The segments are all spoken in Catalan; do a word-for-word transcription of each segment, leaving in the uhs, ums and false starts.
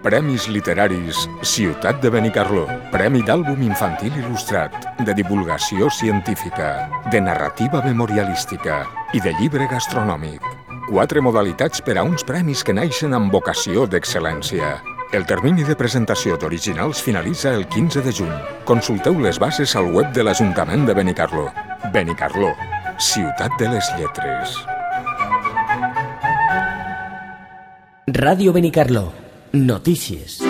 Premis literaris Ciutat de Benicarló. Premi d'àlbum infantil il·lustrat, de divulgació científica, de narrativa memorialística i de llibre gastronòmic. Quatre modalitats per a uns premis que naixen amb vocació d'excel·lència. El termini de presentació d'originals finalitza el quinze de juny. Consulteu les bases al web de l'Ajuntament de Benicarló. Benicarló, ciutat de les lletres. Ràdio Benicarló. Notícies.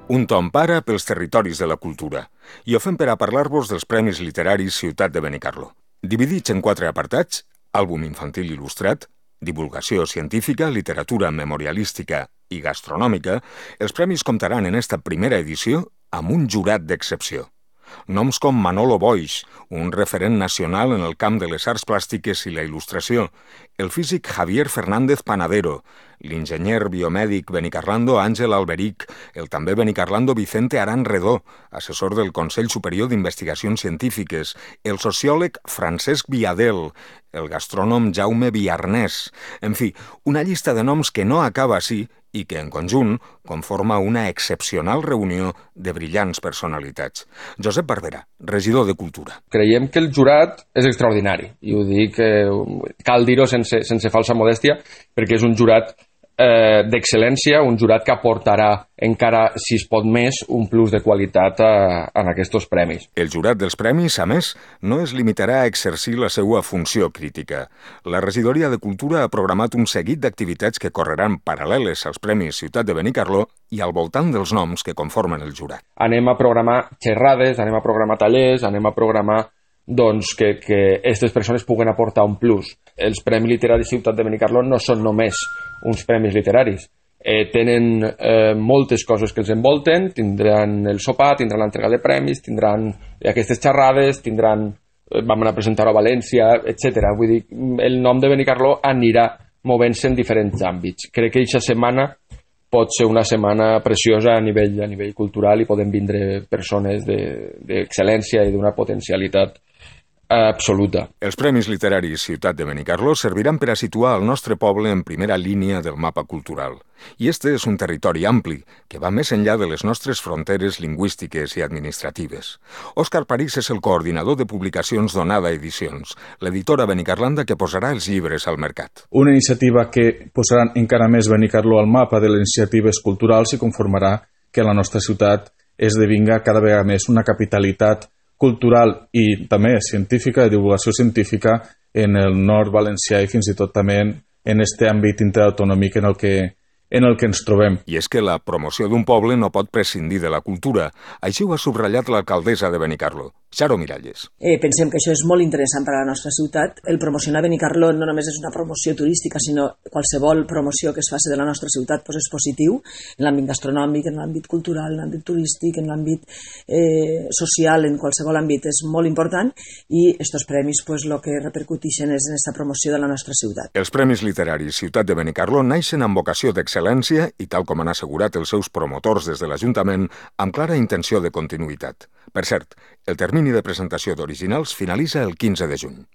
Un tom para pels territoris de la cultura. I ho fem per a parlar-vos dels Premis Literaris Ciutat de Benicarló. Dividits en quatre apartats: àlbum infantil il·lustrat, divulgació científica, literatura memorialística i gastronòmica, els premis comptaran en esta primera edició amb un jurat d'excepció. Noms com Manolo Boix, un referent nacional en el camp de les arts plàstiques i la il·lustració, el físic Javier Fernández Panadero, l'enginyer biomèdic benicarlando Àngel Alberic, el també benicarlando Vicente Aran Redó, assessor del Consell Superior d'Investigacions Científiques, el sociòleg Francesc Viadel, el gastrònom Jaume Viarnès, en fi, una llista de noms que no acaba així i que, en conjunt, conforma una excepcional reunió de brillants personalitats. Josep Barberà, regidor de Cultura. Creiem que el jurat és extraordinari, i ho dic, eh, cal dir-ho sense, sense falsa modèstia, perquè és un jurat eh, d'excel·lència, un jurat que aportarà encara, si es pot més, un plus de qualitat a, en aquests premis. El jurat dels premis, a més, no es limitarà a exercir la seva funció crítica. La regidoria de Cultura ha programat un seguit d'activitats que correran paral·leles als Premis Ciutat de Benicarló i al voltant dels noms que conformen el jurat. Anem a programar xerrades, anem a programar tallers, anem a programar doncs, que, que aquestes persones puguen aportar un plus. Els Premis Literaris Ciutat de Benicarló no són només uns premis literaris. Eh, tenen eh, moltes coses que els envolten, tindran el sopar, tindran l'entrega de premis, tindran aquestes xerrades, tindran, eh, vam anar a presentar-ho a València, etcètera. Vull dir, el nom de Benicarló anirà movent-se en diferents àmbits. Crec que aquesta setmana pot ser una setmana preciosa a nivell, a nivell cultural i poden vindre persones d'excel·lència de, i d'una potencialitat absoluta. Els Premis Literaris Ciutat de Benicarló serviran per a situar el nostre poble en primera línia del mapa cultural. I este és un territori ampli, que va més enllà de les nostres fronteres lingüístiques i administratives. Òscar París és el coordinador de publicacions d'Onada Edicions, l'editora benicarlanda que posarà els llibres al mercat. Una iniciativa que posarà encara més Benicarló al mapa de les iniciatives culturals i conformarà que la nostra ciutat esdevinga cada vegada més una capitalitat cultural i també científica, de divulgació científica en el nord valencià i fins i tot també en este àmbit interautonòmic en el que en el que ens trobem. I és que la promoció d'un poble no pot prescindir de la cultura. Així ho ha subratllat l'alcaldessa de Benicarló, Xaro Miralles. Eh, pensem que això és molt interessant per a la nostra ciutat. El promocionar Benicarló no només és una promoció turística, sinó qualsevol promoció que es faci de la nostra ciutat pues és positiu, en l'àmbit gastronòmic, en l'àmbit cultural, en l'àmbit turístic, en l'àmbit eh, social, en qualsevol àmbit és molt important i aquests premis pues, el que repercuteixen és en aquesta promoció de la nostra ciutat. Els Premis Literaris Ciutat de Benicarló naixen amb vocació d'excel·lència i, tal com han assegurat els seus promotors des de l'Ajuntament, amb clara intenció de continuïtat. Per cert, el termini de presentació d'originals finalitza el quinze de juny.